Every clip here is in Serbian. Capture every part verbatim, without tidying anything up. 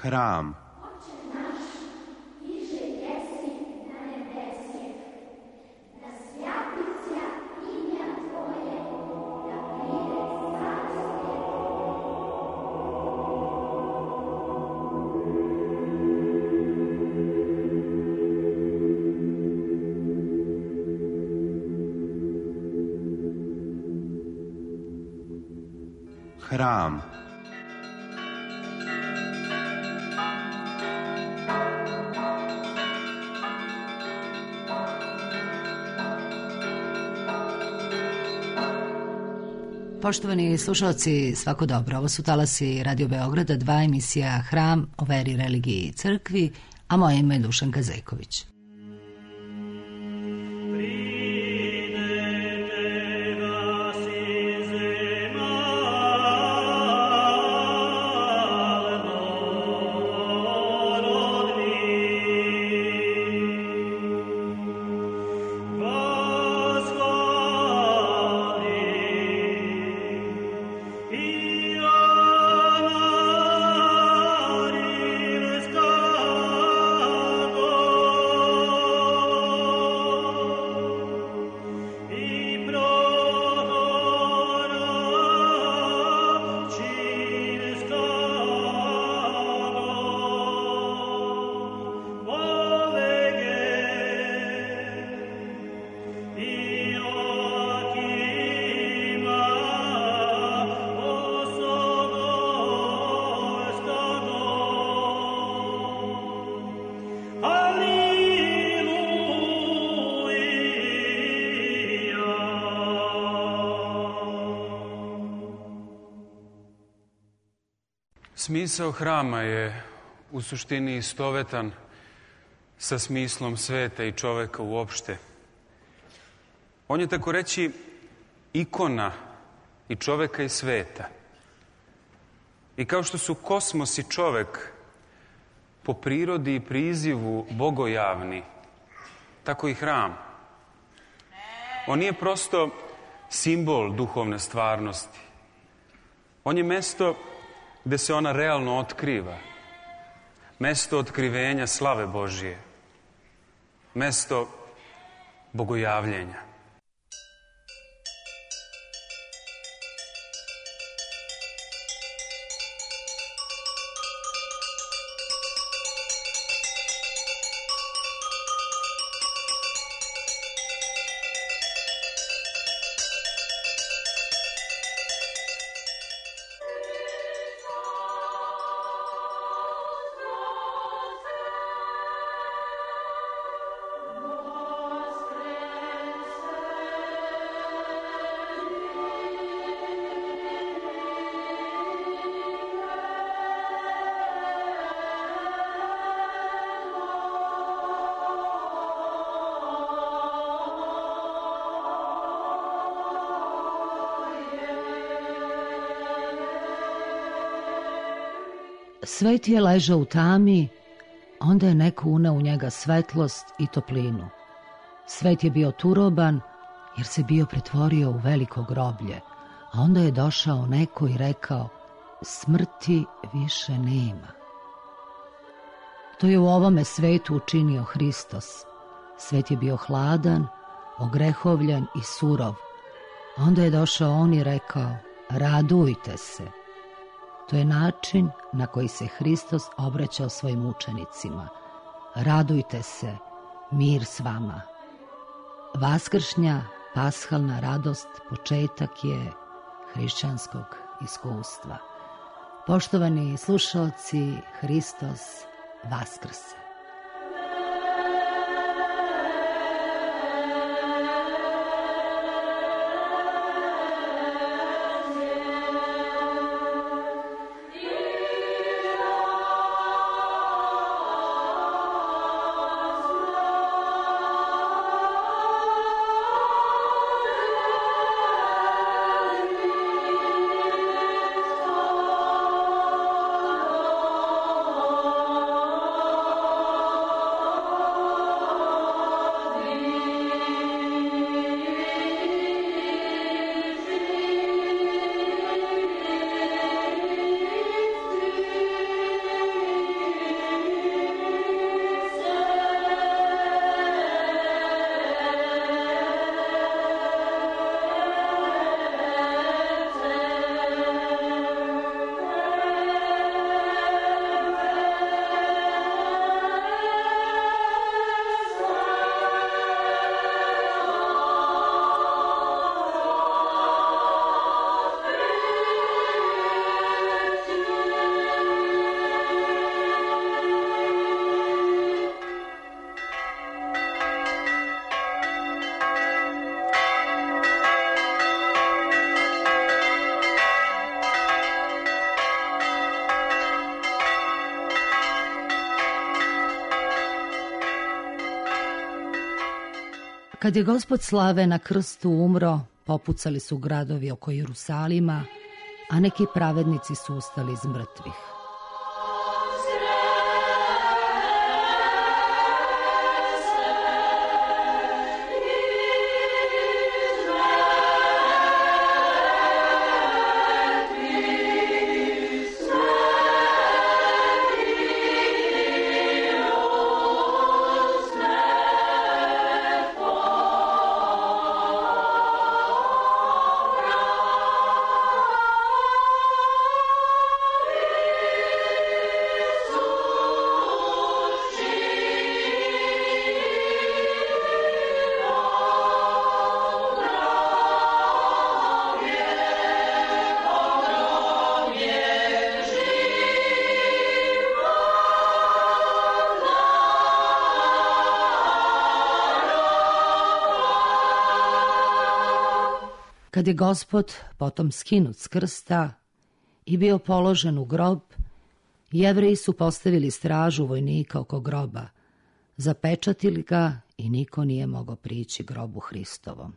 Hram. Hram. Poštovani slušalci, svako dobro. Ovo su talasi Radio Beograda, dva emisija Hram o veri, religiji i crkvi, a moje ime je Dušanka Zejković. Smisao hrama je u suštini istovetan sa smislom sveta i čoveka uopšte. On je, tako reći, ikona i čoveka i sveta. I kao što su kosmos i čovek po prirodi i prizivu bogojavni, tako i hram. On nije prosto simbol duhovne stvarnosti. On je mesto gde se ona realno otkriva. Mesto otkrivenja slave Božije. Mesto bogojavljenja. Svet je ležao u tami, onda je neko uneo u njega svetlost i toplinu. Svet je bio turoban, jer se bio pretvorio u veliko groblje, a onda je došao neko i rekao, smrti više nema. To je u ovome svetu učinio Hristos. Svet je bio hladan, ogrehovljen i surov, a onda je došao on i rekao, radujte se. To je način na koji se Hristos obraćao svojim učenicima. Radujte se, mir s vama. Vaskršnja, pashalna radost početak je hrišćanskog iskustva. Poštovani slušaoci, Hristos vaskrse. Oh Kad je Gospod slave na krstu umro, popucali su gradovi oko Jerusalima, a neki pravednici su ustali iz mrtvih. Kad je Gospod potom skinut s krsta i bio položen u grob, Jevreji su postavili stražu vojnika oko groba, zapečatili ga i niko nije mogao prići grobu Hristovom.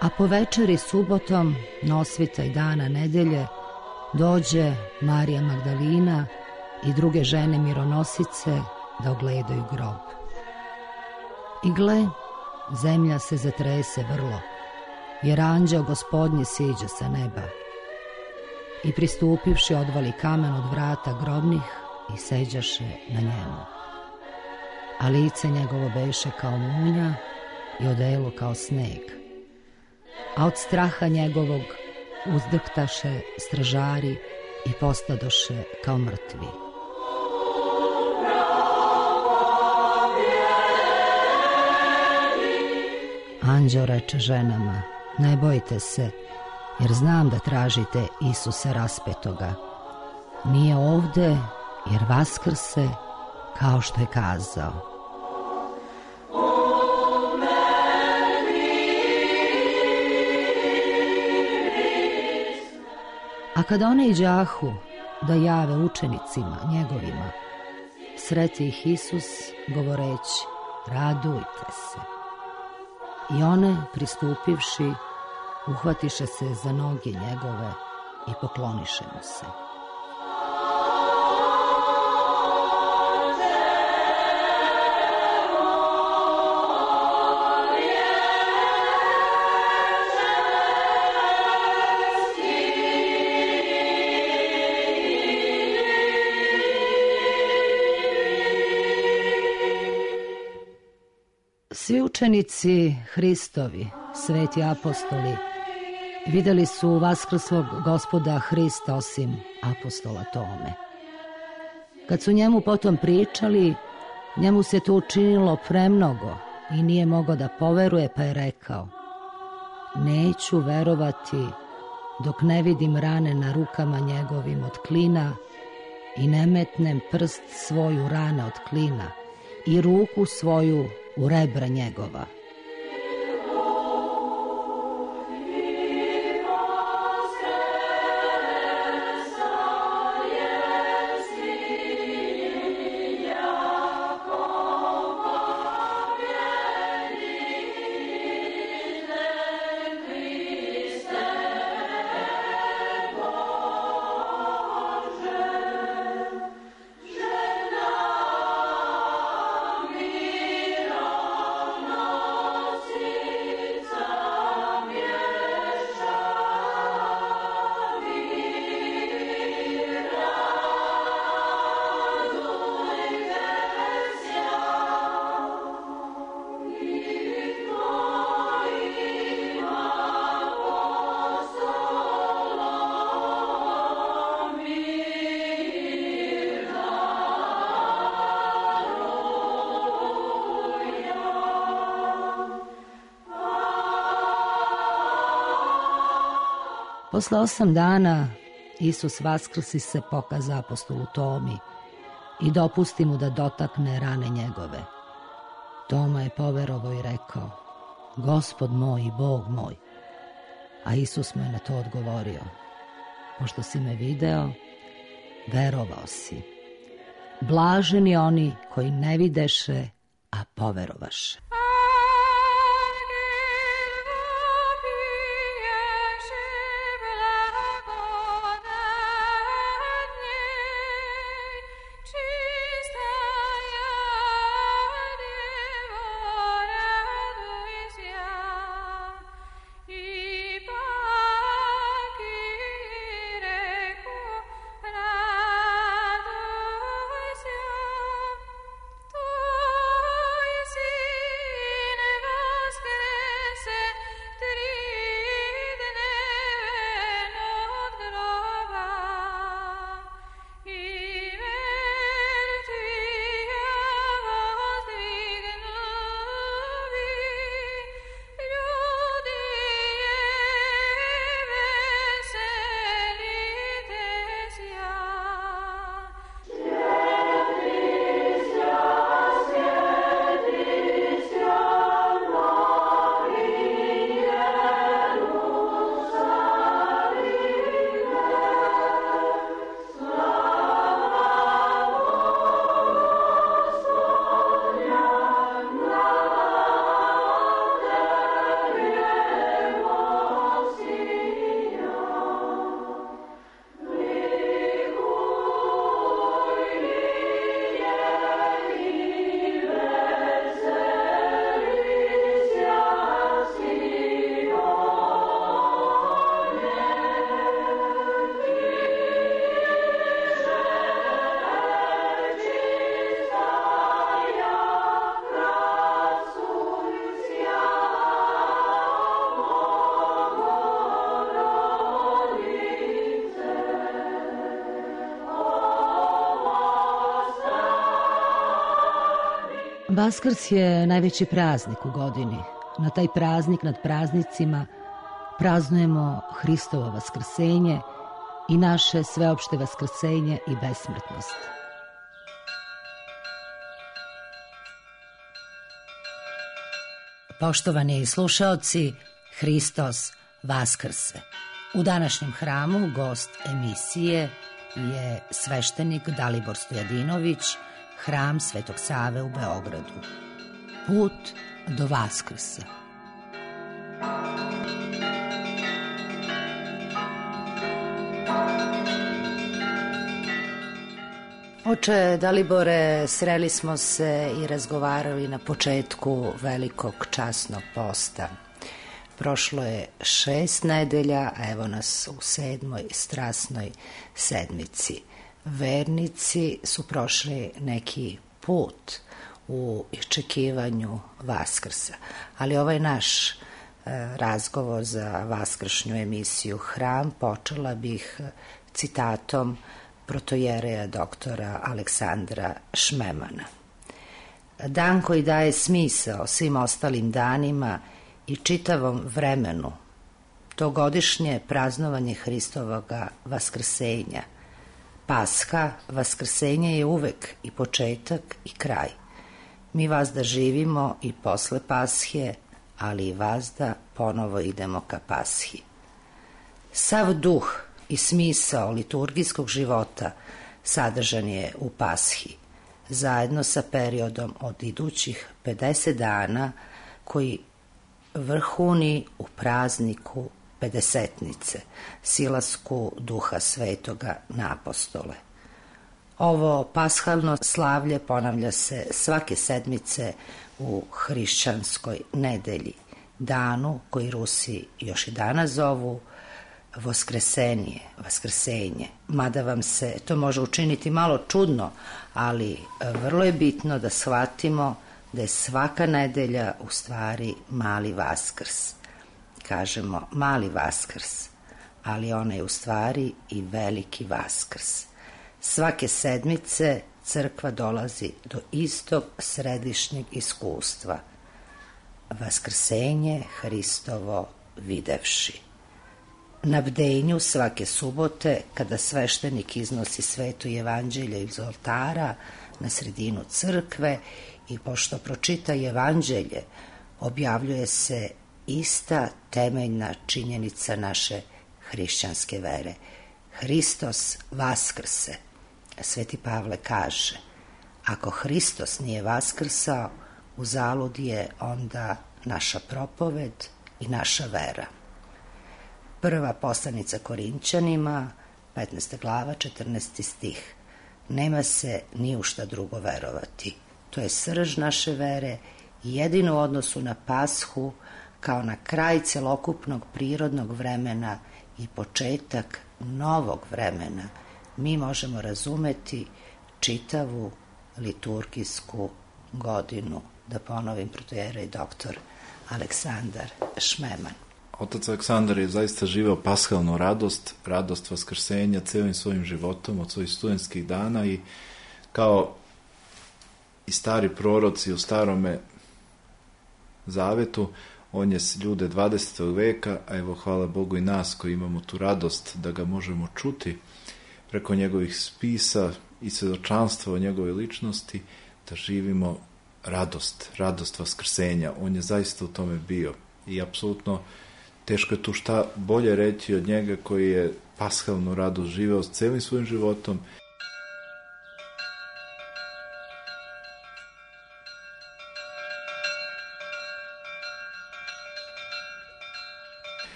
A po večeri subotom, nosvitaj dana nedelje, dođe Marija Magdalina i druge žene mironosice da ogledaju grob. I gle, zemlja se zatrese vrlo, jer anđeo Gospodnji siđe sa neba. I pristupivši odvali kamen od vrata grobnih i seđaše na njemu. A lice njegovo beše kao munja i odelo kao sneg. A od straha njegovog uzdrhtaše stražari i postadoše kao mrtvi. Anđeo reče ženama, ne bojte se, jer znam da tražite Isusa raspetoga. Nije ovde, jer vaskrse, kao što je kazao. A kada one iđahu da jave učenicima njegovima, sreti ih Isus govoreći, radujte se. I one, pristupivši, uhvatiše se za noge njegove i pokloniše mu se. Svi učenici Hristovi, sveti apostoli, vidjeli su vaskrslog Gospoda Hrista osim apostola Tome. Kad su njemu potom pričali, njemu se to učinilo premnogo i nije mogao da poveruje, pa je rekao, neću verovati dok ne vidim rane na rukama njegovim od klina i ne metnem prst svoju rane od klina i ruku svoju u rebra njegova. Žena Posle osam dana Isus vaskrsi se pokaza apostolu Tomi i dopusti mu da dotakne rane njegove. Toma je poverovao i rekao: Gospod moj i Bog moj. A Isus mu je na to odgovorio: Pošto si me video, verovao si. Blaženi oni koji ne videše, a poverovaše. Vaskrs je najveći praznik u godini. Na taj praznik nad praznicima praznujemo Hristovo vaskrsenje i naše sveopšte vaskrsenje i besmrtnost. Poštovani slušaoci, Hristos vaskrse. U današnjem hramu gost emisije je sveštenik Dalibor Stojadinović, Hram Svetog Save u Beogradu. Put do Vaskrsa. Oče Dalibore, sreli smo se i razgovarali na početku velikog časnog posta. Prošlo je šest nedelja, a evo nas u sedmoj strasnoj sedmici. Vernici su prošli neki put u iščekivanju Vaskrsa, ali ovaj naš e, razgovor za vaskršnju emisiju Hram počela bih citatom protojereja doktora Aleksandra Šmemana. Dan koji daje smisao svim ostalim danima i čitavom vremenu, to godišnje praznovanje Hristovoga vaskrsenja. Pasha, vaskrsenje je uvek i početak i kraj. Mi vazda živimo i posle Pashe, ali i vazda ponovo idemo ka Pashi. Sav duh i smisao liturgijskog života sadržan je u Pashi, zajedno sa periodom od idućih pedeset dana koji vrhuni u prazniku Pedesetnice, silasku Duha Svetoga na apostole. Ovo pashalno slavlje ponavlja se svake sedmice u hrišćanskoj nedelji, danu koji Rusi još i danas zovu Voskresenje, vaskrsenje. Mada vam se to može učiniti malo čudno, ali vrlo je bitno da shvatimo da je svaka nedelja u stvari mali Vaskrs. Kažemo mali Vaskrs, ali ona je u stvari i veliki Vaskrs. Svake sedmice crkva dolazi do istog središnjeg iskustva. Vaskrsenje Hristovo videvši. Na bdenju svake subote, kada sveštenik iznosi sveto evanđelje iz oltara na sredinu crkve i pošto pročita evanđelje, objavljuje se ista temeljna činjenica naše hrišćanske vere. Hristos vaskrse. Sveti Pavle kaže, ako Hristos nije vaskrsao, uzalud je onda naša propoved i naša vera. Prva poslanica Korinćanima, petnaesta glava, četrnaesti stih. Nema se ni u šta drugo verovati. To je srž naše vere i jedino u odnosu na Pashu, kao na kraj celokupnog prirodnog vremena i početak novog vremena, mi možemo razumeti čitavu liturgijsku godinu. Da ponovim, protoijerej doktor Aleksandar Šmeman. Otac Aleksandar je zaista živeo pashalnu radost, radost vaskrsenja celim svojim životom od svojih studentskih dana i kao i stari proroci u starome zavetu, on je ljude dvadesetog veka, a evo hvala Bogu i nas koji imamo tu radost da ga možemo čuti preko njegovih spisa i svjedočanstva o njegove ličnosti, da živimo radost, radost vaskrsenja. On je zaista u tome bio i apsolutno teško je tu šta bolje reći od njega koji je pashalnu radost živeo s celim svojim životom.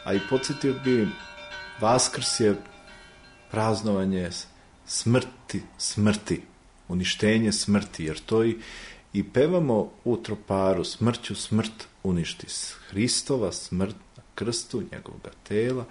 A i podsjetio bi, Vaskrs je praznovanje smrti, smrti, uništenje smrti, jer to i, i pevamo u troparu, smrću smrt uništi. Hristova smrt na krstu, njegovoga tela,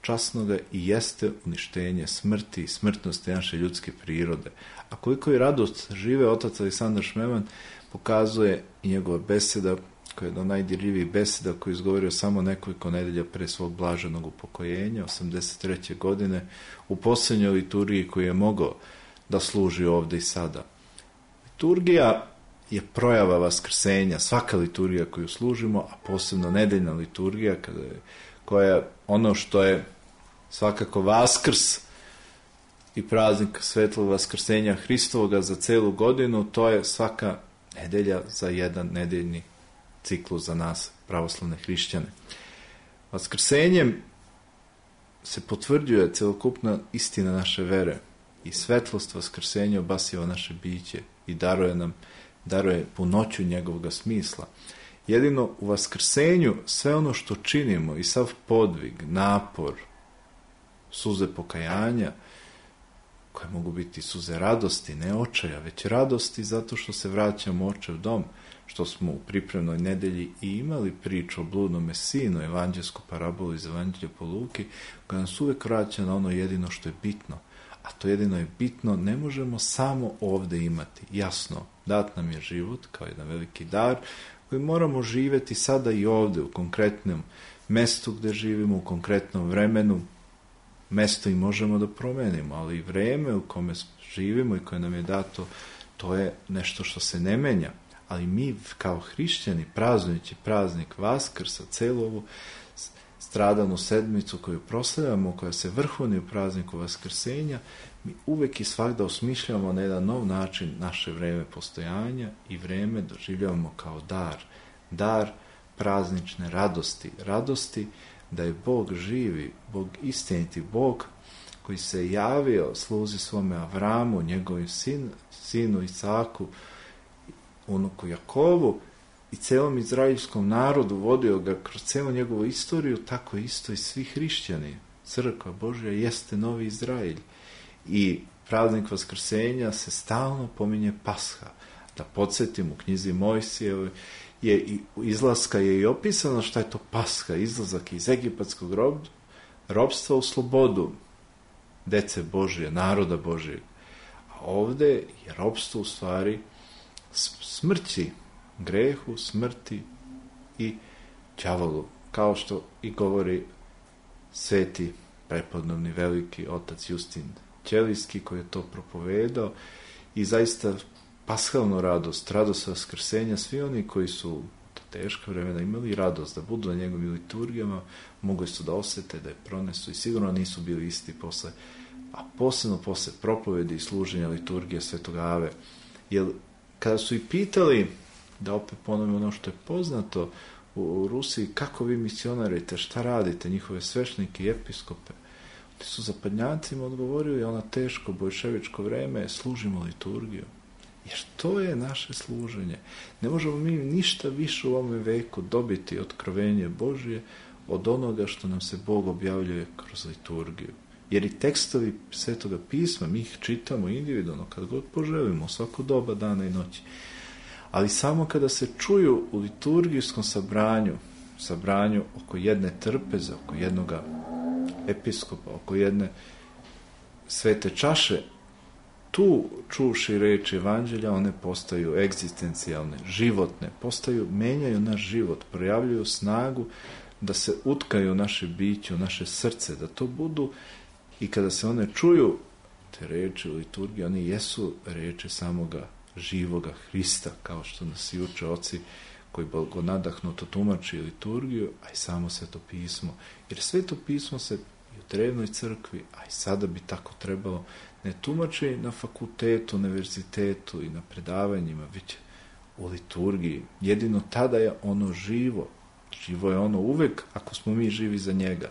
časnoga i jeste uništenje smrti i smrtnosti naše ljudske prirode. A koliko je radost žive otac Aleksandar Šmeman, pokazuje i njegova beseda, koja je jedna od najdirljivijih beseda koju je izgovorio samo nekoliko nedelja pre svog blaženog upokojenja, osamdeset treće godine, u posljednjoj liturgiji koju je mogao da služi ovde i sada. Liturgija je projava vaskrsenja, svaka liturgija koju služimo, a posebno nedeljna liturgija, kada je, koja je ono što je svakako Vaskrs i praznik svetlog vaskrsenja Hristovoga za celu godinu, to je svaka nedelja za jedan nedeljni ciklus za nas, pravoslavne hrišćane. Vaskrsenjem se potvrđuje celokupna istina naše vere i svetlost vaskrsenja obasjava naše biće i daruje nam, daruje punoću njegovog smisla. Jedino u vaskrsenju sve ono što činimo i sav podvig, napor, suze pokajanja, koje mogu biti suze radosti, ne očaja, već radosti zato što se vraćamo u očev dom, što smo u pripremnoj nedelji i imali priču o bludnome sinu, evanđelsku parabolu iz Evanđelja po Luki, koja nas uvek vraća na ono jedino što je bitno. A to jedino je bitno, ne možemo samo ovde imati. Jasno, dat nam je život kao jedan veliki dar, koji moramo živeti sada i ovde, u konkretnom mestu gde živimo, u konkretnom vremenu. Mesto i možemo da promenimo, ali i vreme u kome živimo i koje nam je dato, to je nešto što se ne menja. Ali mi kao hrišćani, praznujući praznik Vaskrsa, celu ovu stradalnu sedmicu koju proslavljamo, koja se vrhovni u prazniku Vaskrsenja, mi uvek i svakda osmišljamo na jedan nov način naše vreme postojanja i vreme doživljavamo kao dar. Dar praznične radosti. Radosti da je Bog živi, Bog istiniti, Bog koji se javio sluzi svome Avramu, njegovim sin, sinu Isaku, unuku Jakovu i celom izraelskom narodu, vodio ga kroz celu njegovu istoriju, tako isto i svi hrišćani. Crkva Božja jeste novi Izraelj i praznik Vaskrsenja se stalno pominje Pasha. Da podsjetim, u knjizi Mojsijevoj je i izlaska je i opisano šta je to Pasha, izlazak iz egipatskog rob, robstva u slobodu dece Božje, naroda Božjeg. A ovde je robstvo u stvari smrći, grehu, smrti i đavolu, kao što i govori sveti prepodobni veliki otac Justin Ćelijski, koji je to propovedao, i zaista pashalnu radost, radost vaskrsenja, svi oni koji su teška vremena, imali radost da budu na njegovim liturgijama, mogli su da osjete, da je pronesu i sigurno nisu bili isti posle, a posebno posle propovedi i služenja liturgije Svetog Ave. Jer kada su i pitali, da opet ponovimo ono što je poznato u Rusiji, kako vi misionarite, šta radite, njihove sveštenike i episkope, oni su zapadnjacima odgovorili, ona teško bojševičko vreme, služimo liturgiju. Jer to je naše služenje. Ne možemo mi ništa više u ovom veku dobiti otkrovenje Božje od onoga što nam se Bog objavljuje kroz liturgiju. Jer i tekstovi Svetoga pisma, mi ih čitamo individualno, kad god poželimo, svako doba dana i noći. Ali samo kada se čuju u liturgijskom sabranju, sabranju oko jedne trpeze, oko jednoga episkopa, oko jedne svete čaše, tu čuši reči evanđelja, one postaju egzistencijalne, životne, postaju, menjaju naš život, projavljuju snagu da se utkaju u naše biće, u naše srce, da to budu, i kada se one čuju, te reči u liturgiji, oni jesu reči samoga živoga Hrista, kao što nas i uče oci koji blagonadahnuto tumači liturgiju, a i samo Sveto pismo. Jer Sveto pismo se i u drevnoj crkvi, a i sada bi tako trebalo, ne tumači na fakultetu, univerzitetu i na predavanjima, već u liturgiji. Jedino tada je ono živo. Živo je ono uvek ako smo mi živi za njega.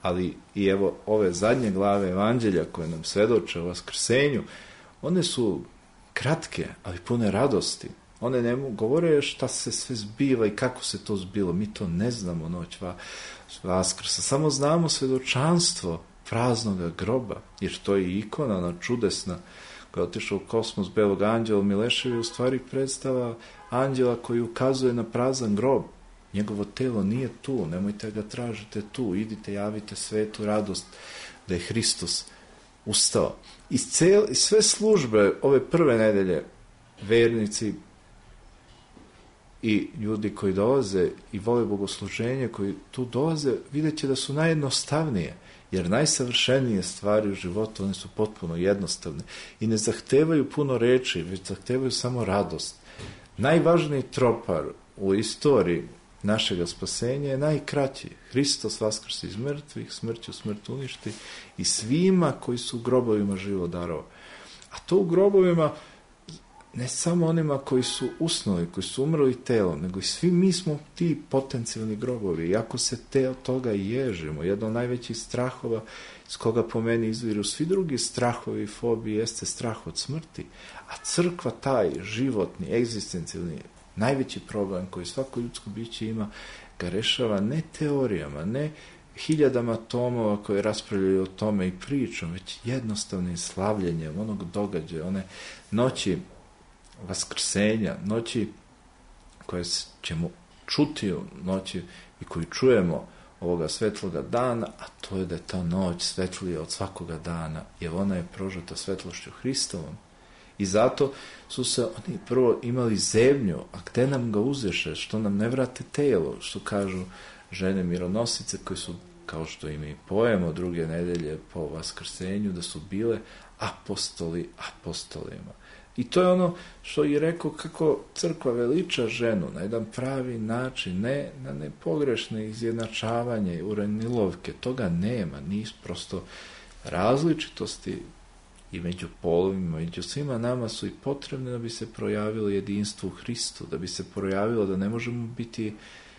Ali i evo ove zadnje glave evanđelja koje nam svedoče o vaskrsenju, one su kratke, ali pune radosti. One ne govore šta se sve zbiva i kako se to zbilo. Mi to ne znamo noć Vaskrsa. Samo znamo svedočanstvo praznoga groba, jer to je ikona, ona čudesna, koja je otišla u kosmos belog anđela Mileševi, u stvari predstava anđela koji ukazuje na prazan grob. Njegovo telo nije tu, nemojte ga tražite tu, idite, javite svetu radost da je Hristos ustao. I cel, sve službe ove prve nedelje, vernici i ljudi koji dolaze i vole bogosluženje, koji tu dolaze, vidjet će da su najjednostavnije, jer najsavršenije stvari u životu, one su potpuno jednostavne i ne zahtevaju puno reči, već zahtevaju samo radost. Najvažniji tropar u istoriji našega spasenja je najkraći. Hristos vaskrsi iz mrtvih, smrću smrt uništi i svima koji su u grobovima živo darao. A to u grobovima ne samo onima koji su usnuli, koji su umrli telom, nego i svi mi smo ti potencijalni grobovi. I ako se te od toga i ježimo, jedno od najvećih strahova s koga po meni izviru svi drugi strahovi i fobije jeste strah od smrti. A crkva taj životni, egzistencijalni, najveći problem koji svako ljudsko biće ima, ga rešava ne teorijama, ne hiljadama tomova koje raspravljaju o tome i pričom, već jednostavnim slavljenjem onog događaja, one noći vaskrsenja, noći koje ćemo čuti u noći i koju čujemo ovoga svetloga dana, a to je da je ta noć svetlija od svakoga dana, jer ona je prožeta svetlošću Hristovom. I zato su se oni prvo imali zebnju, a gde nam ga uzeše, što nam ne vrate telo, što kažu žene mironosice koje su, kao što im i pojemo druge nedelje po vaskrsenju, da su bile apostoli apostolima. I to je ono što je rekao kako crkva veliča ženu na jedan pravi način, ne na nepogrešne izjednačavanje i uranilovke, toga nema, nisu prosto različitosti i među polovima, među svima nama su i potrebne da bi se projavilo jedinstvo u Hristu, da bi se projavilo da ne možemo biti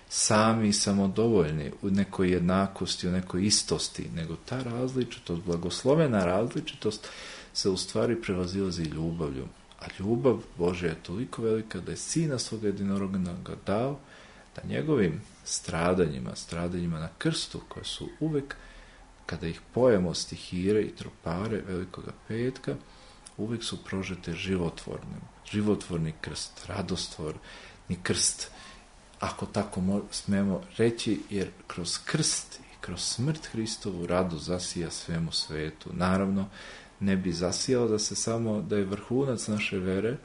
sami i samodovoljni u nekoj jednakosti, u nekoj istosti, nego ta različitost, blagoslovena različitost se u stvari prevazilazi ljubavlju. A ljubav Božja je toliko velika da je Sina svoga jedinoroga dao da njegovim stradanjima, stradanjima na krstu, koje su uvek, kada ih pojemo stihire i tropare Velikoga petka, uvek su prožete životvornim. Životvorni krst, radostvorni krst, ako tako smemo reći, jer kroz krst i kroz smrt Hristovu radost zasija svemu svetu. Naravno, ne bi zasijalo da se samo, da je vrhunac naše vere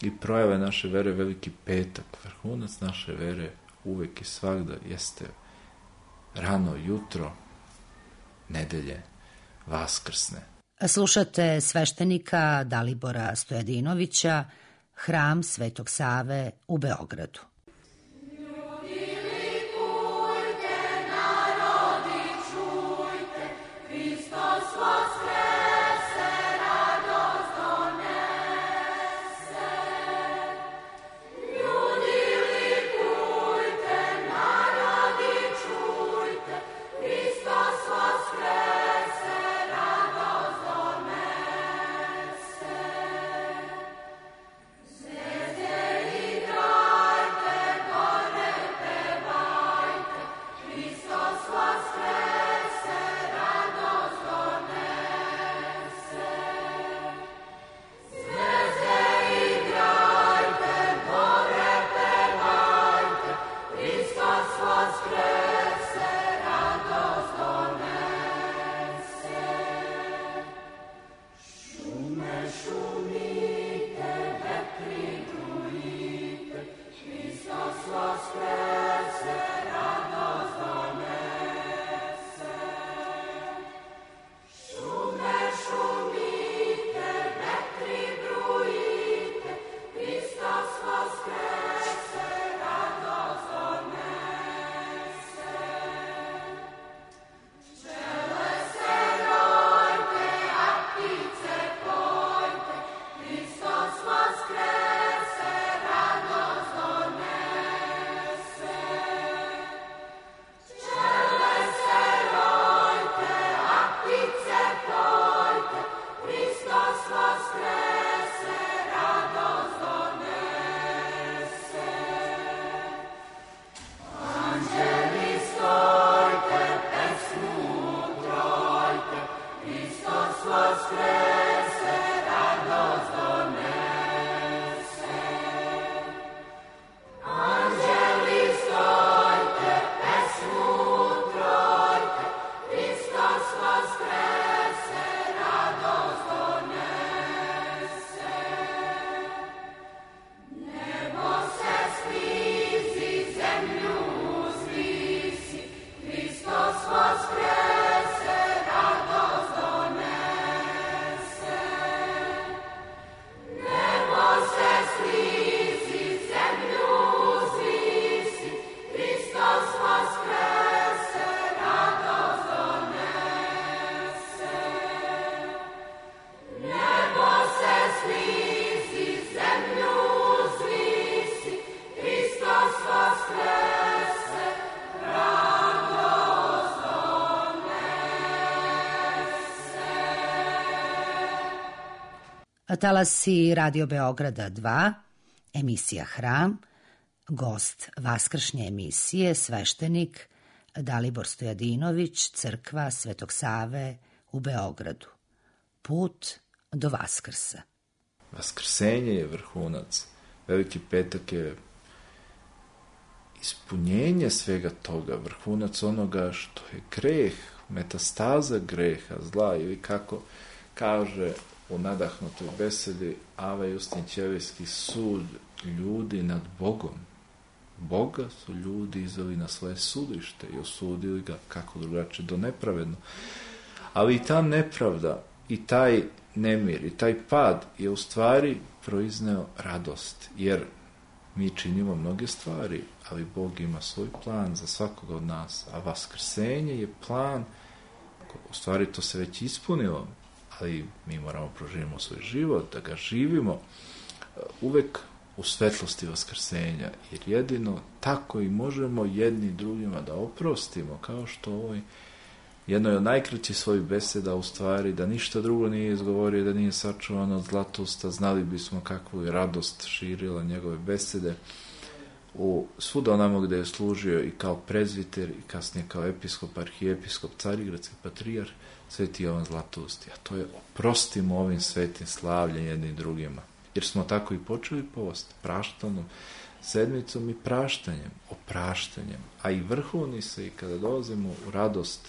i projave naše vere Veliki petak. Vrhunac naše vere uvek i svagda jeste rano jutro nedelje vaskrsne. Slušate sveštenika Dalibora Stojadinovića, Hram Svetog Save u Beogradu. talasi Radio Beograda dva, emisija Hram, gost vaskršnje emisije, sveštenik Dalibor Stojadinović, crkva Svetog Save u Beogradu. Put do Vaskrsa. Vaskrsenje je vrhunac. Veliki petak je ispunjenje svega toga, vrhunac onoga što je greh, metastaza greha, zla, ili kako kaže u nadahnutoj besedi Ava Justin Ćelijski, sud ljudi nad Bogom. Boga su ljudi izveli na svoje sudište i osudili ga, kako drugačije, do nepravedno. Ali i ta nepravda, i taj nemir, i taj pad je u stvari proizneo radost, jer mi činimo mnoge stvari, ali Bog ima svoj plan za svakoga od nas, a vaskrsenje je plan, u stvari to se već ispunilo, ali mi moramo proživimo svoj život, da ga živimo uvek u svetlosti vaskrsenja, jer jedino tako i možemo jedni drugima da oprostimo, kao što ovoj jednoj od najkraćih svojih beseda, u stvari, da ništa drugo nije izgovorio, da nije sačuvan od zlatosta, znali bismo kakvu je radost širila njegove besede u svuda onamo gde je služio i kao prezviter i kasnije kao episkop, arhijepiskop, carigradski patrijarh, Sveti Jovan Zlatousti. A to je oprostimo ovim svetim slavljem jednim drugima. Jer smo tako i počeli post, praštanom sedmicom i praštanjem, opraštanjem. A i vrhovni se i kada dolazimo u radost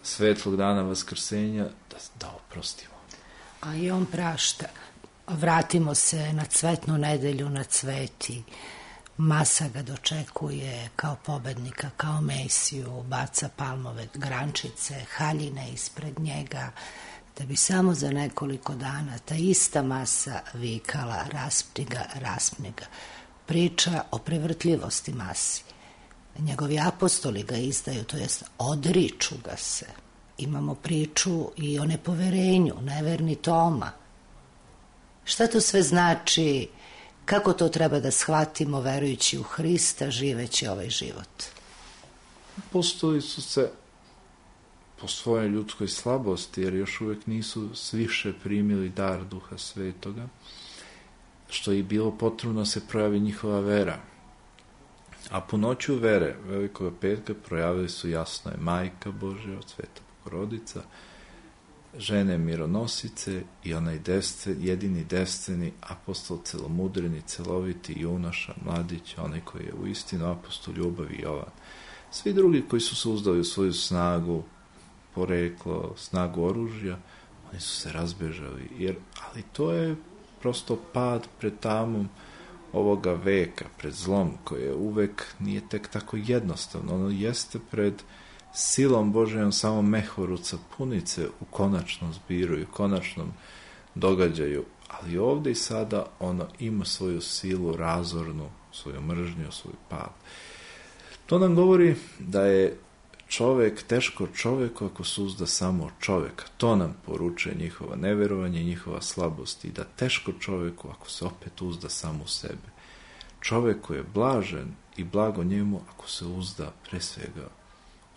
svetlog dana vaskrsenja, da, da oprostimo. A i on prašta. Vratimo se na cvetnu nedelju, na cveti. Masa ga dočekuje kao pobednika, kao Mesiju, baca palmove grančice, haljine ispred njega, da bi samo za nekoliko dana ta ista masa vikala raspni ga, raspni ga. Priča o prevrtljivosti masi. Njegovi apostoli ga izdaju, to jest odriču ga se. Imamo priču i o nepoverenju, neverni Toma. Šta to sve znači? Kako to treba da shvatimo verujući u Hrista, živeći ovaj život? Apostoli su se po svojoj ljudskoj slabosti, jer još uvijek nisu sviše primili dar Duha Svetoga, što je bilo potrebno se projavi njihova vera. A po noću vere Velikog petka projavili su jasno je Majka Božja, Sveta Bogorodica, žene mironosice i onaj desce, jedini desceni apostol, celomudreni, celoviti junoša, mladić, onaj koji je u istinu apostol ljubavi Jovan. Svi drugi koji su se uzdali u svoju snagu, poreklo, snagu oružja, oni su se razbežali. Jer, ali to je prosto pad pred tamom ovoga veka, pred zlom, koje uvek nije tek tako jednostavno. Ono jeste pred silom Božjom samo mehoruca punice u konačnom zbiru i u konačnom događaju, ali ovdje i sada ono ima svoju silu razornu, svoju mržnju, svoj pad. To nam govori da je čovek teško čoveku ako se uzda samo od čoveka. To nam poručuje njihova neverovanje i njihova slabost, i da teško čoveku ako se opet uzda samo u sebe. Čoveku je blažen i blago njemu ako se uzda pre svega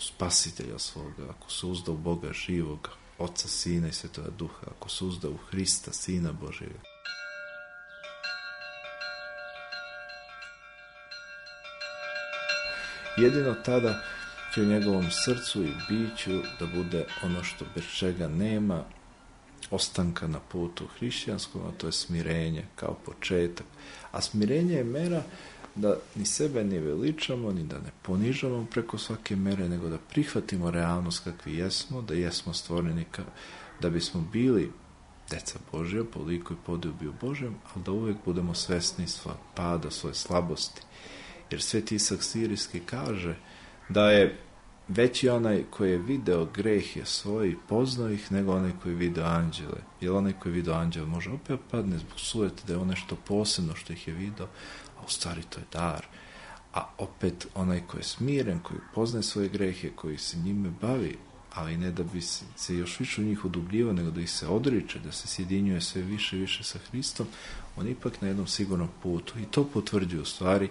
u Spasitelja svoga, ako se uzda u Boga živoga, Oca, Sina i Svetoga Duha, ako se uzda u Hrista, Sina Božjega. Jedino tada će u njegovom srcu i biću da bude ono što bez čega nema ostanka na putu hrišćanskom, a to je smirenje kao početak. A smirenje je mera da ni sebe ne veličamo, ni da ne ponižamo preko svake mere, nego da prihvatimo realnost kakvi jesmo, da jesmo stvoreni ka, da bismo bili deca Božja, po liku i podobiju Božjem, ali da uvijek budemo svesni svoje pada, svoje slabosti. Jer Sveti Isak Sirijski kaže da je veći onaj koji je video greh je svoj i poznao ih, nego onaj koji je video anđele. Jer onaj koji je video anđele može opet padne zbog sujete da je ono nešto posebno što ih je video, a u stvari to je dar. A opet onaj koji je smiren, koji poznaje svoje grehe, koji se njime bavi, ali ne da bi se još više u njih udubljivao, nego da ih se odriče, da se sjedinjuje sve više i više sa Hristom, on ipak na jednom sigurnom putu. I to potvrđuje u stvari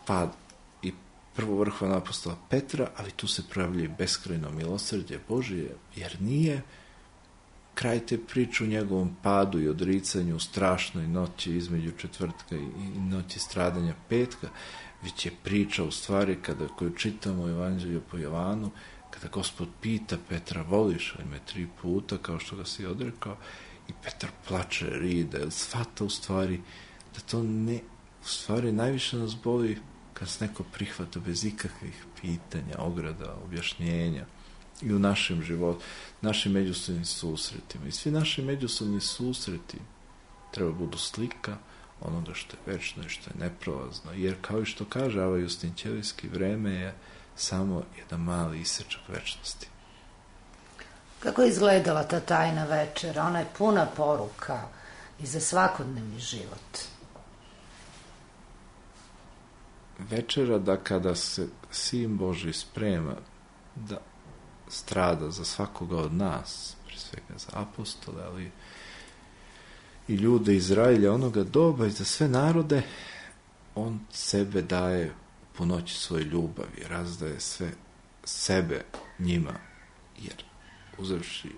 pad i prvo vrhovna apostola Petra, ali tu se projavlja i beskrajno milosrđe Božije, jer nije kraj te priče u njegovom padu i odricanju u strašnoj noći između četvrtka i noći stradanja petka, već je priča u stvari kada koju čitamo u Evanđelju po Jovanu, kada Gospod pita Petra, voliš li me tri puta, kao što ga si odrekao, i Petar plače, ride, jer shvata u stvari da to ne, u stvari najviše nas boli kad se neko prihvata bez ikakvih pitanja, ograda, objašnjenja i u našem životu, našim međusobnim susretima. I svi naši međusobni susreti treba budu slika onoga što je večno i što je neprolazno. Jer kao i što kaže Ava Justin Ćelijski, vreme je samo jedan mali isečak večnosti. Kako je izgledala ta tajna večera? Ona je puna poruka i za svakodnevni život. Večera da kada se Sin Božji sprema da strada za svakoga od nas, prije svega za apostole, ali i ljude Izraelja onoga doba i za sve narode, on sebe daje po noći svoje ljubavi, razdaje sve sebe njima, jer uzevši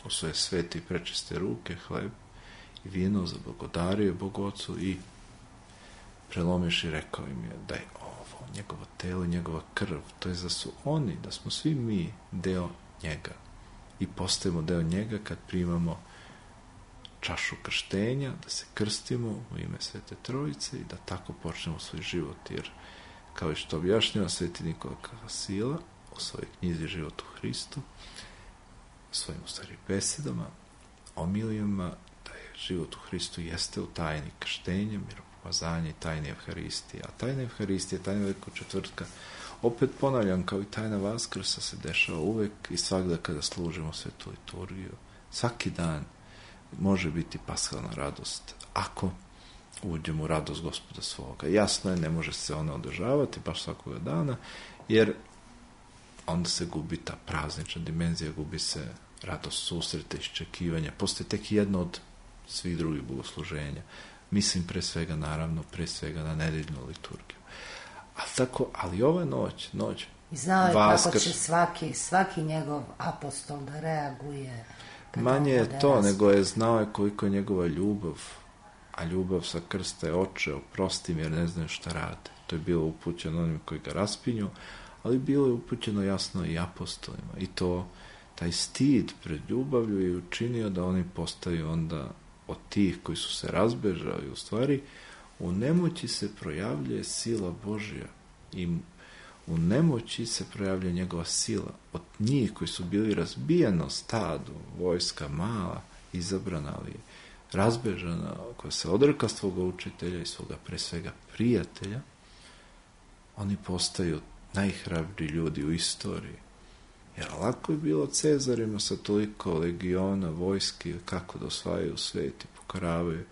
u svoje svete i prečiste ruke hleb i vino, zablagodario je Bogu Ocu i prelomiš i rekao im je da je ovo njegovo telo, njegova krv, to je da su oni, da smo svi mi deo njega i postajemo deo njega kad primamo čašu krštenja, da se krstimo u ime Svete Trojice i da tako počnemo svoj život, jer kao i što objašnjava Sveti Nikola Kasila u svojoj knjizi Život u Hristu, u svojim u stvari besedama, omilijama, da je život u Hristu jeste u tajni krštenja, miropomazanja i tajni Evharistije. A tajna Evharistije, tajna Velikog četvrtka, opet ponavljam, kao i tajna Vaskrsa, se dešava uvek i svakda kada služimo svetu liturgiju. Svaki dan može biti paskalna radost ako uđemo u radost Gospoda svoga. Jasno je, ne može se ona održavati baš svakoga dana, jer onda se gubi ta praznična dimenzija, gubi se radost susreta, iščekivanja. Postoje tek jedno od svih drugih bogosluženja. Mislim pre svega, naravno, pre svega na nedeljnu liturgiju. Ali tako, ali ova noć, noć I znao je Vaskrs, kako će svaki, svaki njegov apostol da reaguje. Manje je to, nego je znao je koliko je njegova ljubav, a ljubav sa krsta je oče, oprosti mi jer ne znaju šta rade. To je bilo upućeno onim koji ga raspinju, ali bilo je upućeno jasno i apostolima. I to, taj stid pred ljubavlju je učinio da oni postaju onda od tih koji su se razbežali, u stvari u nemoći se projavljuje sila Božja i u nemoći se projavlja njegova sila. Od njih koji su bili razbijeno stado, vojska mala, izabrana, ali razbežana, koja se odreka svoga učitelja i svoga pre svega prijatelja, oni postaju najhrabriji ljudi u istoriji. Jer lako je bilo Cezarima sa toliko legiona, vojski, kako da osvajaju svet i pokoravaju,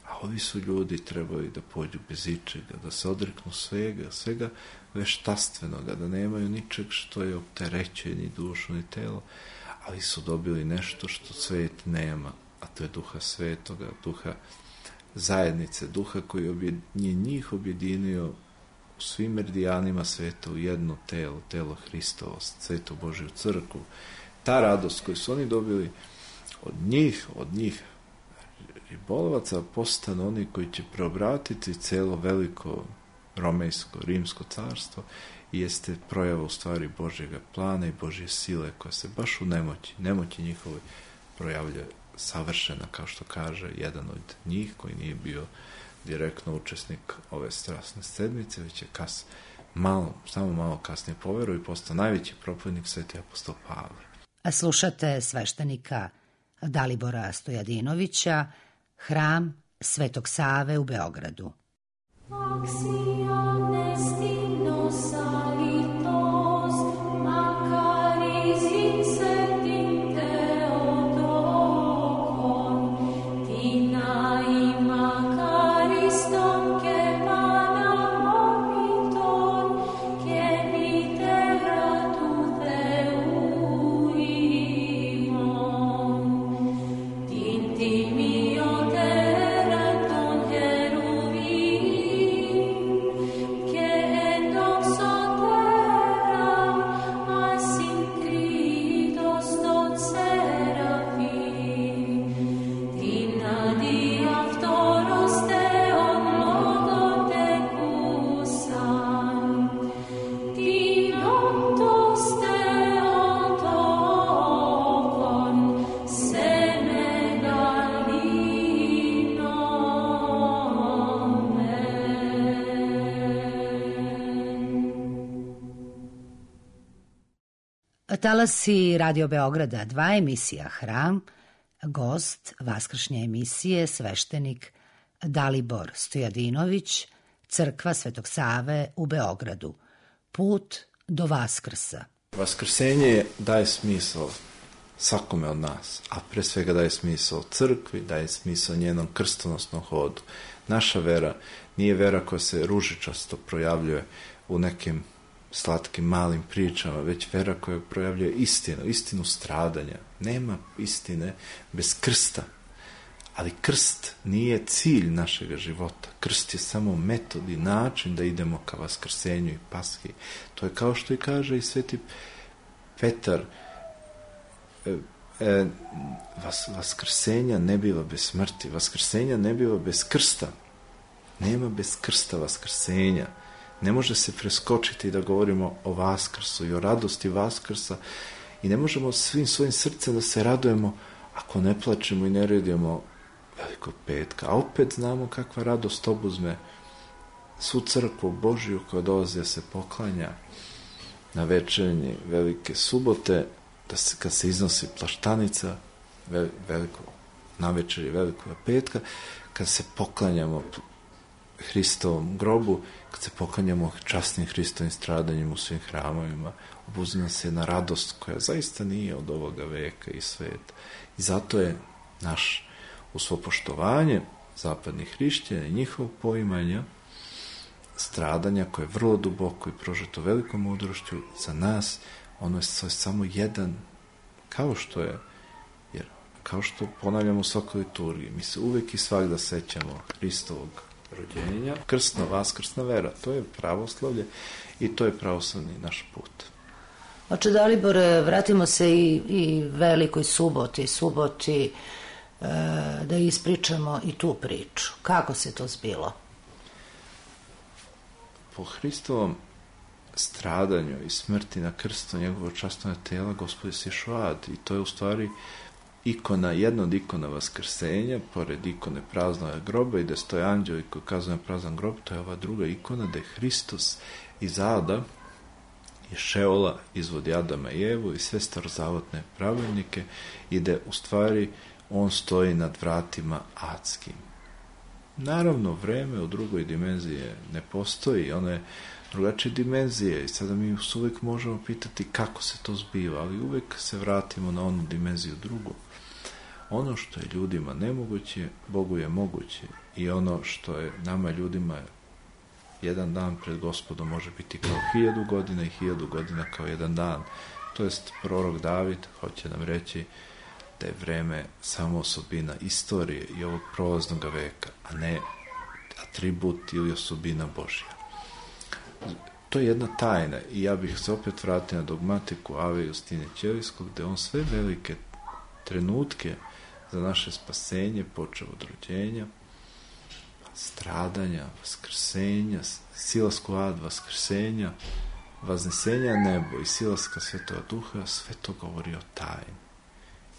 a ovi su ljudi trebali da pođu bez ičega, da se odreknu svega, svega veštastvenoga, da nemaju ničeg što je opterećuje ni dušu, ni telo, ali su dobili nešto što svet nema, a to je duha svetoga, duha zajednice, duha koji je njih objedinio u svim meridijanima sveta u jedno telo, telo Hristovo, svetu Božju crkvu. Ta radost koju su oni dobili od njih, od njih ribolovaca, postanu oni koji će preobratiti celo veliko romejsko, rimsko carstvo i jeste projava u stvari Božjega plana i Božje sile koja se baš u nemoći, nemoći njihove projavlja savršena, kao što kaže jedan od njih koji nije bio direktno učesnik ove strasne sedmice, već je kas, malo, samo malo kasnije poverovao i postao najveći propovjednik, sveti apostol Pavle. A slušate sveštenika Dalibora Stojadinovića, Hram Svetog Save u Beogradu. Che Talasi Radio Beograda dva, emisija Hram, gost vaskršnje emisije sveštenik Dalibor Stojadinović, Crkva Svetog Save u Beogradu. Put do Vaskrsa. Vaskrsenje daje smisao svakome od nas, a pre svega daje smisao crkvi, daje smisao njenom krstonosnom hodu. Naša vera nije vera koja se ružičasto projavljuje u nekim slatkim malim pričama, već vera koja projavljuje istinu, istinu stradanja. Nema istine bez krsta, ali krst nije cilj našeg života. Krst je samo metod i način da idemo ka vaskrsenju i paski. To je kao što i kaže i sveti Petar, e, e, vas, vaskrsenja ne biva bez smrti, vaskrsenja ne biva bez krsta. Nema bez krsta vaskrsenja. Ne može se preskočiti da govorimo o Vaskrsu i o radosti Vaskrsa i ne možemo svim svojim srcem da se radujemo ako ne plačemo i ne redimo Velikog petka. A opet znamo kakva radost obuzme svu crkvu Božiju koja dolazi da se poklanja na večernji Velike subote, da se, kad se iznosi plaštanica veliko, na večeri Velikog petka, kad se poklanjamo Hristovom grobu, kad se poklanjamo časnim Hristovim stradanjima u svim hramovima, obuzima se jedna radost koja zaista nije od ovoga veka i sveta. I zato je naš, u svo poštovanje zapadnih hrišćana i njihovog poimanja stradanja koje je vrlo duboko i prožeto velikom mudrošću, za nas ono je samo jedan, kao što je, jer kao što ponavljamo u svakoj liturgiji, mi se uvek i svakda sećamo Hristovog rođenja, krstna, vaskrsna vera, to je pravoslavlje i to je pravoslavni naš put. Oče Dalibore, vratimo se i, i Velikoj suboti, suboti, e, da ispričamo i tu priču. Kako se to zbilo? Po Hristovom stradanju i smrti na krstu njegovog časnog tela Gospod je sišao u ad i to je u stvari ikona, jedna od ikona vaskrsenja, pored ikone praznog groba i da stoje anđeli koji kazuju na prazan grob, to je ova druga ikona da je Hristos iz ada i Šeola izvodi Adama i Evu i sve starozavodne pravilnike i da u stvari on stoji nad vratima adskim. Naravno, vreme u drugoj dimenziji ne postoji, ono je drugačije dimenzije i sada mi uvijek možemo pitati kako se to zbiva, ali uvijek se vratimo na onu dimenziju drugu. Ono što je ljudima nemoguće, Bogu je moguće i ono što je nama ljudima jedan dan pred Gospodom može biti kao hiljadu godina i hiljadu godina kao jedan dan. To jest prorok David hoće nam reći da je vreme samo osobina istorije i ovog prolaznog veka, a ne atribut ili osobina Božja. To je jedna tajna i ja bih se opet vratio na dogmatiku Ave Justine Ćelijskog, gde on sve velike trenutke za naše spasenje, počeo od rođenja, stradanja, vaskrsenja, silasku ad, vaskrsenja, vaznesenja nebo i silaska Svetoga Duha, sve to govori o tajni.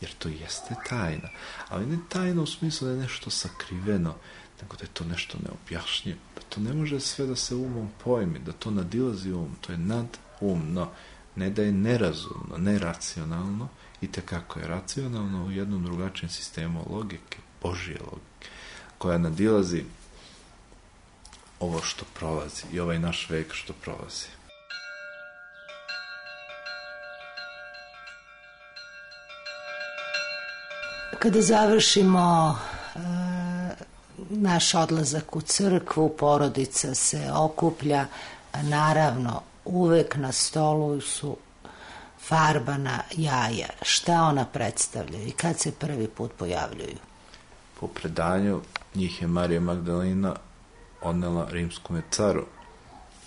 Jer to jeste tajna, ali ne tajna u smislu da je nešto sakriveno, nego da je to nešto neobjašnjivo, da to ne može sve da se umom pojmi, da to nadilazi um, to je nadumno, ne da je nerazumno, neracionalno, i tekako je racionalno u jednom drugačijem sistemu logike, Božje logike, koja nadilazi ovo što prolazi i ovaj naš vek što prolazi. Kada završimo e, naš odlazak u crkvu, porodica se okuplja, naravno uvek na stolu su farbana jaja. Šta ona predstavlja i kad se prvi put pojavljuju? Po predanju njih je Marija Magdalena odnela rimskome caru.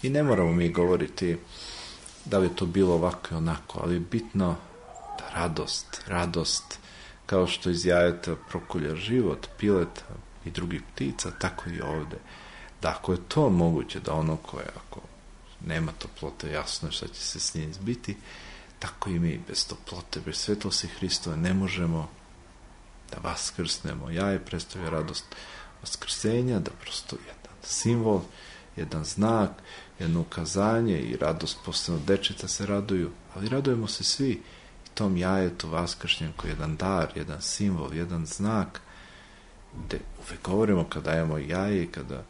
I ne moramo mi govoriti da li je to bilo ovako i onako, ali je bitno da radost, radost, kao što iz jajeta prokulja život, pileta i drugih ptica, tako i ovde. Da ako je to moguće, da ono koje, ako nema toplote, jasno je šta će se s njim zbiti, tako i mi bez toplote, bez svetlosti Hristove ne možemo da vaskrsnemo. Jaje predstavlja radost vaskrsenja, da prosto jedan simbol jedan znak, jedno ukazanje i radost, posebno dečeta se raduju, ali radujemo se svi i tom jajetu vaskršnjem koji je jedan dar, jedan simbol, jedan znak, gde uvek govorimo kada dajemo jaje i kada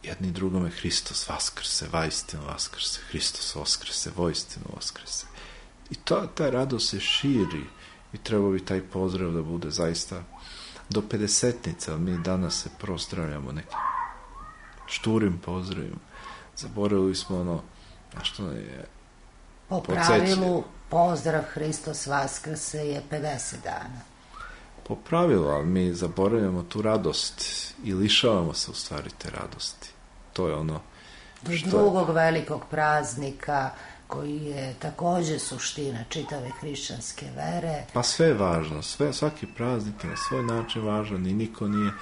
jedni drugome Hristos vaskrse, vaistinu vaskrse, Hristos vaskrse, voistinu vaskrse. I to, ta radost se širi i treba bi taj pozdrav da bude zaista do pedesetnice, ali mi danas se prozdravljamo nekim šturim pozdravima. Zaboravili smo ono, a što je po pravilu pozdrav Hristos vaskrse je pedeset dana. Po pravilu, ali mi zaboravljamo tu radost i lišavamo se u stvari te radosti. To je ono do što... drugog velikog praznika koji je takođe suština čitave hrišćanske vere. Pa sve je važno, sve, svaki praznik je na svoj način važan i niko nije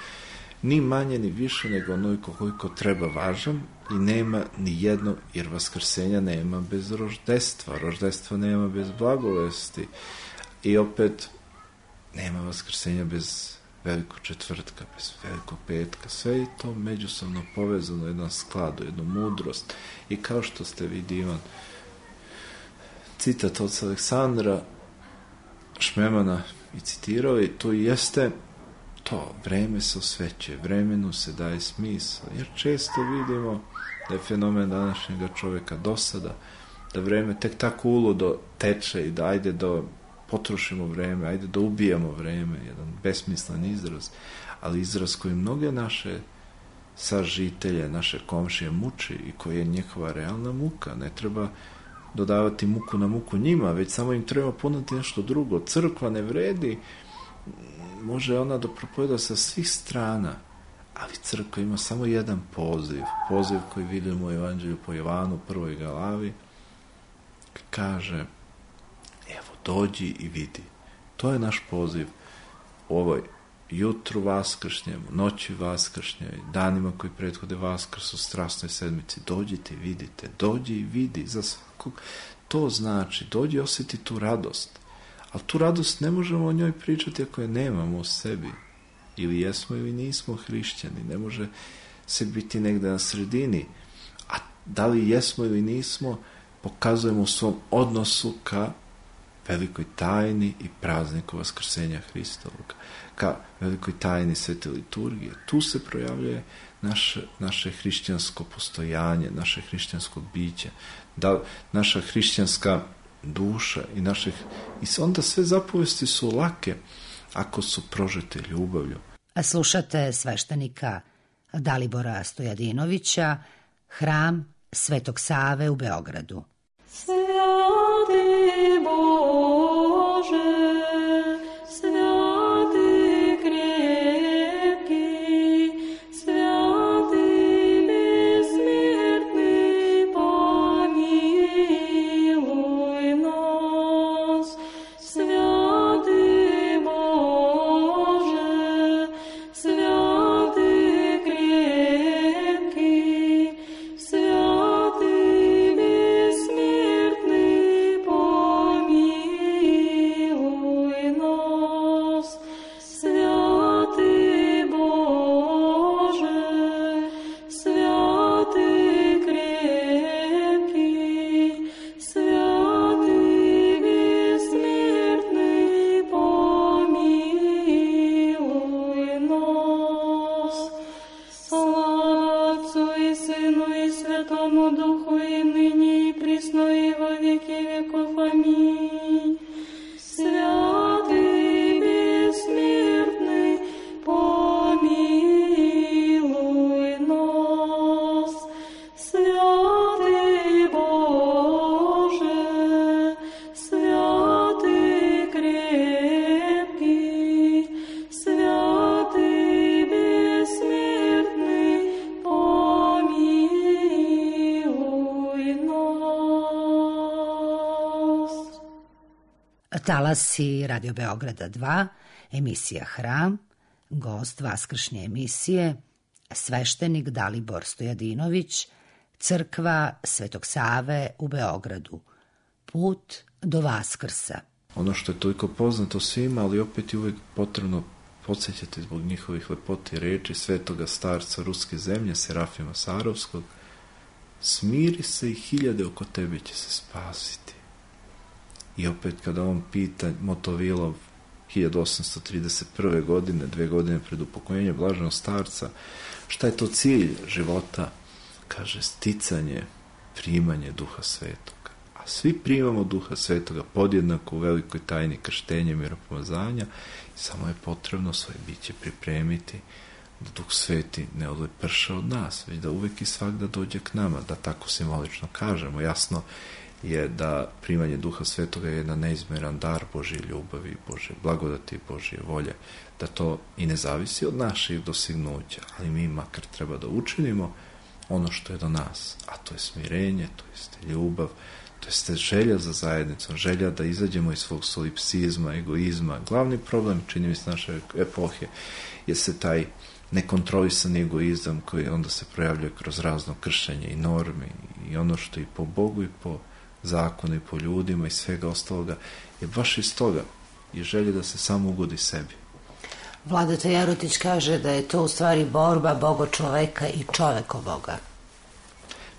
ni manje ni više nego onoliko koliko treba važan i nema ni jedno, jer vaskrsenja nema bez roždestva, roždestva nema bez blagovesti i opet nema vaskrsenja bez velikog četvrtka, bez velikog petka, sve je to međusobno povezano, jedan sklad, jednu mudrost i kao što ste vidi Ivan citat od Aleksandra Šmemana i citirao i to jeste to, vreme se osvećuje, vremenu se daje smisao, jer često vidimo da je fenomen današnjega čoveka dosada, da vreme tek tako uludo teče i da ajde da potrošimo vreme, ajde da ubijamo vreme, jedan besmislen izraz, ali izraz koji mnoge naše sažitelje, naše komšije muči i koji je njihova realna muka. Ne treba dodavati muku na muku njima, već samo im treba ponuditi nešto drugo. Crkva ne vredi, može ona da propoveda sa svih strana, ali crkva ima samo jedan poziv, poziv koji vidimo u Evanđelju po Jovanu, prvoj glavi, kaže evo, dođi i vidi. To je naš poziv u ovoj jutru vaskršnjem, noći vaskršnjoj, danima koji prethode vaskrsu, strasnoj sedmici. Dođite i vidite, dođi i vidi za svakog. To znači, dođi i osjeti tu radost. Ali tu radost ne možemo o njoj pričati ako je nemamo u sebi. Ili jesmo ili nismo hrišćani. Ne može se biti negde na sredini. A da li jesmo ili nismo, pokazujemo u svom odnosu ka velikoj tajni i prazniku vaskrsenja Hristovog, ka velikoj tajni svete liturgije. Tu se projavljuje naše, naše hrišćansko postojanje, naše hrišćansko biće, da, naša hrišćanska duša i naših... I onda sve zapovesti su lake ako su prožete ljubavlju. A slušate sveštenika Dalibora Stojadinovića, Hram Svetog Save u Beogradu. Sveti Bože, sveti krepki, sveti besmrtni, pomiluj nas. Sveti Bože, sveti krepki, sveti besmrtni, pomiluj nas. Sveti Bože, sveti krepki, sveti besmrtni, pomiluj nas. Slava Otcu i Sinu i Svetomu Duhu i ныне и присно и во веки веков. Аминь. Святый бессмертный, помилуй нас. Святый Боже, святый крепкий, святый бессмертный, помилуй нас. Talasi Radio Beograda dva, emisija Hram, gost vaskršnje emisije, sveštenik Dalibor Stojadinović, crkva Svetog Save u Beogradu. Put do Vaskrsa. Ono što je toliko poznato svima, ali opet je uvek potrebno podsjećate zbog njihovih lepoti reči svetoga starca ruske zemlje, Serafima Sarovskog, smiri se i hiljade oko tebe će se spasiti. I opet kada on pita Motovilov hiljadu osamsto trideset prve. godine, dve godine pred upokojenjem blaženog starca, šta je to cilj života? Kaže, sticanje, primanje Duha Svetoga. A svi primamo Duha Svetoga podjednako u velikoj tajni krštenja i miropomazanja i samo je potrebno svoje biće pripremiti da Duh Sveti ne odleprša od nas, već da uvek i svakda dođe k nama, da tako simbolično kažemo. Jasno je da primanje Duha Svetoga je jedan neizmeran dar Božje ljubavi, Božje blagodati, Božje volje, da to i ne zavisi od naših dostignuća, ali mi makar treba da učinimo ono što je do nas, a to je smirenje, to je ljubav, to je želja za zajednicom, želja da izađemo iz svog solipsizma, egoizma. Glavni problem, čini mi se, naše epohe je se taj nekontrolisani egoizam koji onda se projavljuje kroz razno kršenje i normi i ono što i po Bogu i po zakonu i po ljudima i svega ostaloga je baš iz toga i želje da se samo ugodi sebi. Vladeta Jerotić kaže da je to u stvari borba Boga čoveka i čoveko Boga.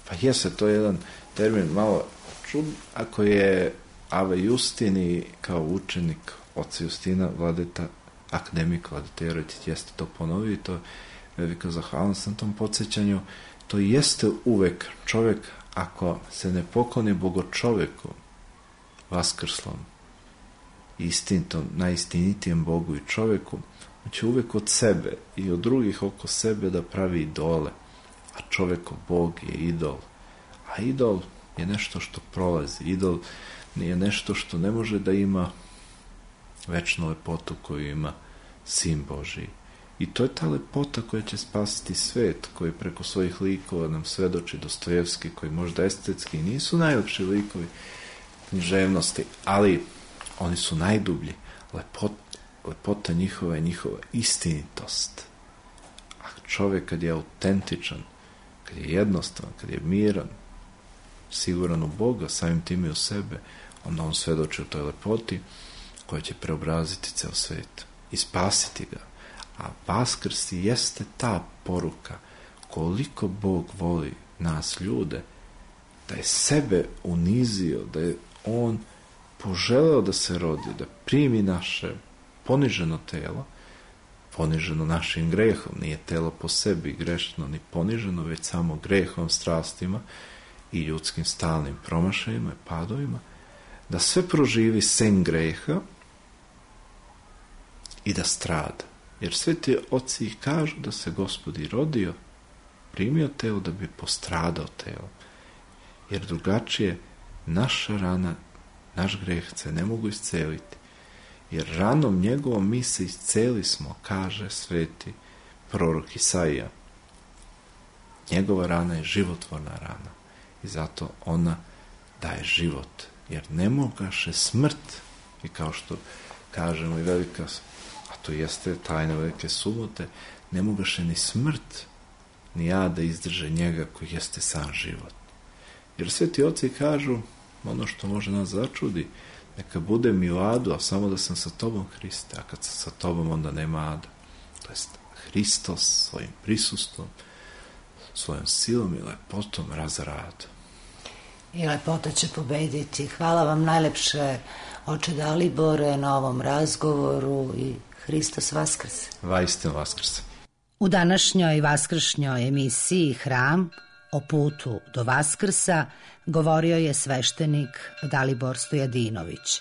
Pa jeste, to je jedan termin malo čud, ako je Ave Justini kao učenik oca Justina, Vladeta akademik Vladeta Jerotić jeste to ponovio i to je velika zahvalnost na tom podsjećanju. To jeste uvek čovek, ako se ne pokloni Bogo čoveku vaskrslom, istinitom, najistinitijem Bogu i čoveku, on će uvek od sebe i od drugih oko sebe da pravi idole, a čoveko Bog je idol. A idol je nešto što prolazi, idol je nešto što ne može da ima večnu lepotu koju ima Sin Božiji. I to je ta lepota koja će spasiti svet, koji preko svojih likova nam svedoči Dostojevski, koji možda estetski nisu najlepši likovi književnosti, ali oni su najdublji. Lepot, lepota njihova je njihova istinitost. A čovjek kad je autentičan, kad je jednostavan, kad je miran, siguran u Boga, samim tim i u sebe, onda on svedoči u toj lepoti koja će preobraziti ceo svet i spasiti ga. A Vaskrs jeste ta poruka koliko Bog voli nas ljude, da je sebe unizio, da je on poželeo da se rodi, da primi naše poniženo telo, poniženo našim grehom, nije telo po sebi grešno ni poniženo, već samo grehom, strastima i ljudskim stalnim promašajima i padovima, da sve proživi sen greha i da strada. Jer sveti oci ih kažu da se Gospod i rodio, primio telo da bi postradao telo. Jer drugačije naša rana, naš greh se ne mogu isceliti. Jer ranom njegovom mi se isceli smo, kaže sveti prorok Isaija. Njegova rana je životvorna rana i zato ona daje život. Jer ne mogaše smrt, i kao što kažemo i velika, a to jeste tajna velike subote, ne mogaše ni smrt, ni jad da izdrže njega koji jeste sam život. Jer sveti oci kažu, ono što može nas začudi, neka bude mi u adu, a samo da sam sa tobom, Hriste, a kad sam sa tobom, onda nema ada. To jest, Hristos svojim prisustvom, svojom silom i lepotom razrada. I lepota će pobediti. Hvala vam najlepše, oče Dalibore, na ovom razgovoru i Hristos Vaskrse. Vaistinu Vaskrse. U današnjoj vaskršnjoj emisiji Hram o putu do Vaskrsa govorio je sveštenik Dalibor Stojadinović,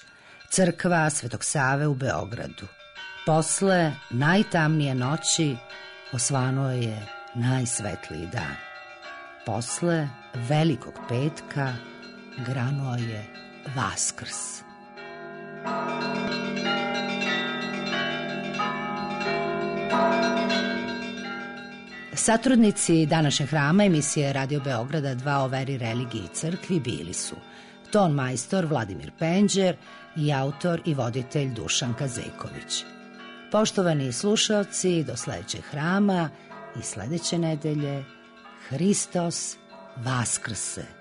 crkva Svetog Save u Beogradu. Posle najtamnije noći osvanuo je najsvetliji dan. Posle Velikog petka granuo je Vaskrs. Satrudnici današnjeg hrama emisije Radio Beograda dva o veri, religiji i crkvi bili su ton majstor Vladimir Penđer i autor i voditelj Dušan Kazeković. Poštovani slušaoci, do sledećeg hrama i sledeće nedelje Hristos Vaskrse.